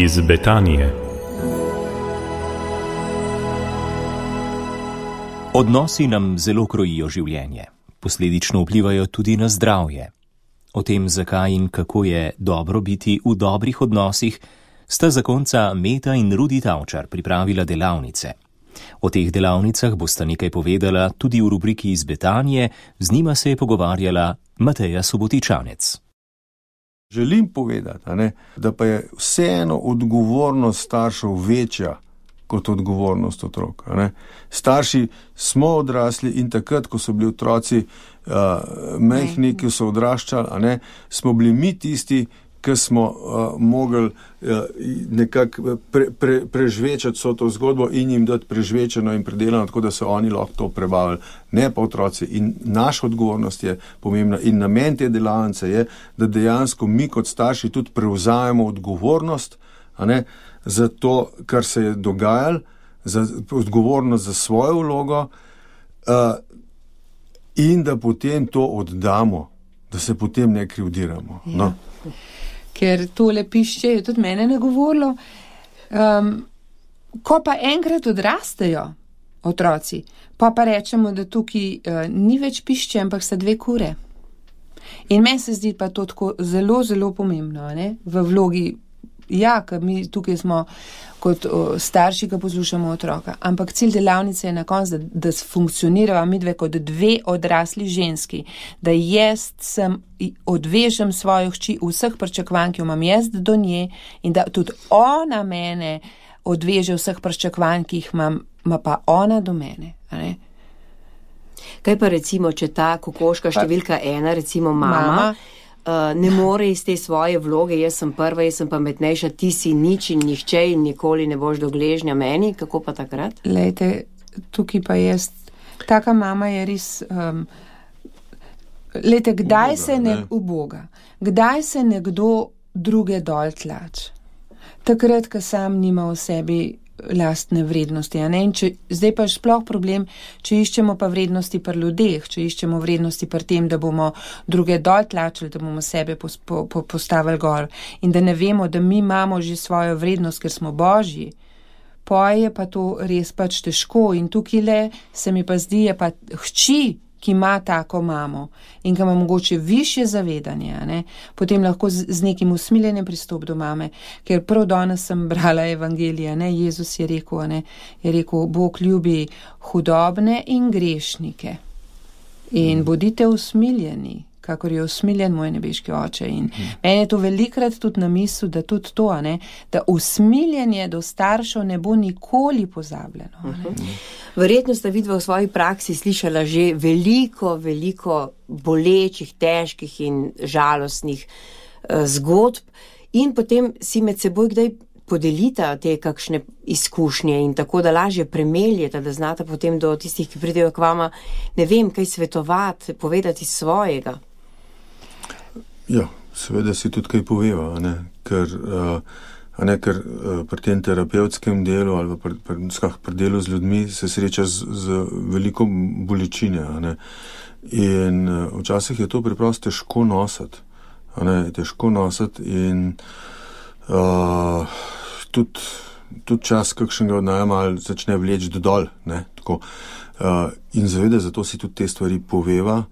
Iz Betanije. Odnosi nam zelo krojijo življenje, posledično vplivajo tudi na zdravje. O tem, zakaj in kako je dobro biti v dobrih odnosih, sta zakonca Meta in Rudi Tavčar pripravila delavnice. O teh delavnicah bosta nekaj povedala tudi v rubriki Iz Betanije, z njima se je pogovarjala Mateja Subotičanec. Želim povedati, da pa je vseeno odgovornost staršev večja kot odgovornost otrok. Starši smo odrasli in takrat, ko so bili otroci majhni, ki so odraščali, smo bili mi tisti, ki smo mogli nekako prežvečati vso to zgodbo in jim dati prežvečeno in predelano, tako da so oni lahko to prebavili, ne pa otroci. In naša odgovornost je pomembna in namen te delavnice je, da dejansko mi kot starši tudi prevzajemo odgovornost za to, kar se je dogajalo, za odgovornost za svojo vlogo in da potem to oddamo, da se potem ne krivdiramo. No. Ker tole pišče je tudi mene nagovorilo. Ko pa enkrat odrastejo otroci, pa rečemo, da tukaj ni več pišče, ampak sta dve kure. In meni se zdi pa to tako zelo, zelo pomembno, v vlogi, ker mi tukaj smo kot starši, ki poslušamo otroka. Ampak cilj delavnice je na koncu, da funkcionirava midve kot dve odrasli ženski, da jaz odvežem svojo hči vseh pričakovanj, ki jo imam jaz do nje in da tudi ona mene odveže vseh pričakovanj, ki jih ima pa ona do mene. Kaj pa recimo, če ta kokoška številka 1, recimo mama ne more iz te svoje vloge, jaz sem prva, jaz sem pametnejša, ti si nič in nihče in nikoli ne boš do gležnja meni, kako pa takrat? Lejte, tukaj pa jaz, taka mama je res, lejte, kdaj se uboga, kdaj se nekdo druge dol tlač? Takrat, ko sam nima v sebi lastne vrednosti, In zdaj pa sploh problem, če iščemo pa vrednosti pri ljudeh, če iščemo vrednosti pri tem, da bomo druge dol tlačili, da bomo sebe postavili gor in da ne vemo, da mi imamo že svojo vrednost, ker smo božji, je pa to res pač težko in tukaj se mi pa zdi, je pa hči, ki ima tako mamo in ki ima mogoče višje zavedanje, potem lahko z nekim usmiljenim pristop do mame, ker prav danes sem brala evangelije, Jezus je rekel, Bog ljubi hudobne in grešnike in bodite usmiljeni, kakor je usmiljen moj nebeški oče. In meni je to velikrat tudi na misel, da tudi to, da usmiljenje do staršev ne bo nikoli pozabljeno. Verjetno sta vidva v svoji praksi slišala že veliko bolečih, težkih in žalostnih zgodb in potem si med seboj kdaj podelita te kakšne izkušnje in tako, da lažje premeljeta, da znata potem do tistih, ki pridejo k vama, ne vem, kaj svetovati, povedati svojega. Ja, seveda si tudi kaj poveva, ker pri tem terapevtskem delu ali pri delu z ljudmi se sreča z veliko bolečine, in včasih je to preprosto težko nositi, in tudi čas kakšnega od najma začne vleči dodol, tako. In zaveda, zato si tudi te stvari poveva,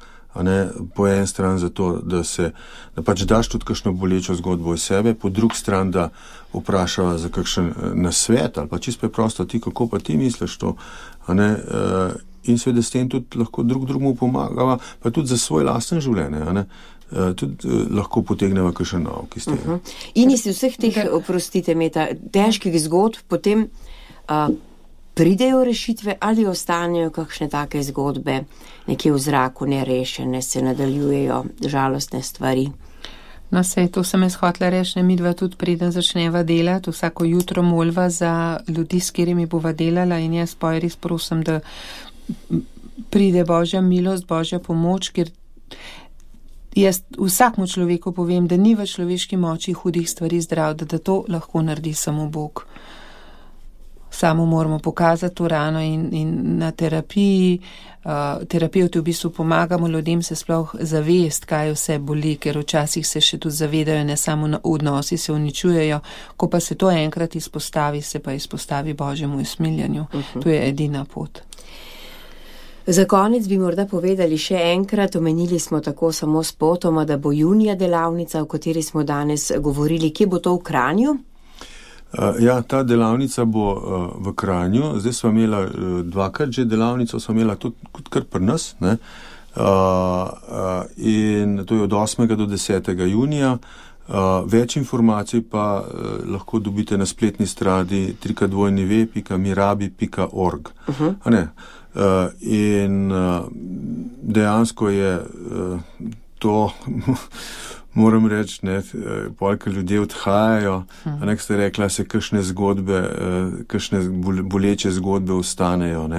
po en stran zato, da pač daš tudi kakšno bolečo zgodbo iz sebe, po drug stran, da vprašava za kakšen nasvet ali pa čisto preprosto ti, kako pa ti misliš to, in seveda s tem tudi lahko drugemu pomagava, pa tudi za svoj lasten življenje, tudi lahko potegneva kakšen nauk iz tega. In iz vseh teh, oprostite, Meta, težkih zgodb potem pridejo rešitve ali ostanejo kakšne take zgodbe nekje v zraku nerešene, se nadaljujejo žalostne stvari? No, to sem jaz hotela reči, midva tudi preden začneva delati, vsako jutro molva za ljudi, s katerimi bova delala in jaz res prosim, da pride Božja milost, Božja pomoč, ker jaz vsakmu človeku povem, da ni v človeški moči hudih stvari zdrav, da to lahko naredi samo Bog. samo moramo pokazati to rano in na terapiji. Terapeuti v bistvu pomagamo ljudem se sploh zavest, kaj vse boli, ker včasih se še tudi zavedajo, ne samo odnosi se uničujejo, ko pa se to enkrat izpostavi, se pa izpostavi Božjemu usmiljanju. To je edina pot. Za konec bi morda povedali še enkrat, omenili smo tako samo spotoma, da bo junija delavnica, o kateri smo danes govorili. Kje bo to v Kranju? Ja, ta delavnica bo v Kranju. Zdaj smo imela dvakrat že delavnico, smo imela tudi kar pri nas, ne? In to je od 8. do 10. junija. Več informacij pa lahko dobite na spletni strani www.mirabi.org. In dejansko je to, moram reči, polka ljudje odhajajo, nek ste rekla, se kakšne zgodbe, kakšne boleče zgodbe ostanejo.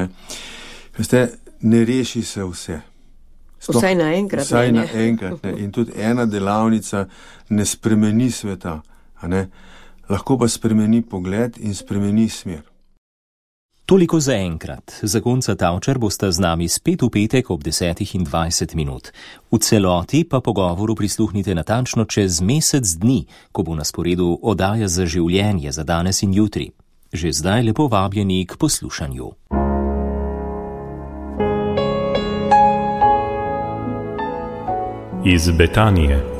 Veste, ne reši se vse. Vsaj naenkrat. Vsaj naenkrat. In tudi ena delavnica ne spremeni sveta. Lahko pa spremeni pogled in spremeni smer. Toliko za enkrat. Zakonca Tavčar bosta z nami spet v petek ob 10:20. V celoti pa pogovoru prisluhnite natančno čez mesec dni, ko bo na sporedu oddaja Za življenje za danes in jutri. Že zdaj lepo vabljeni k poslušanju. Iz Betanije.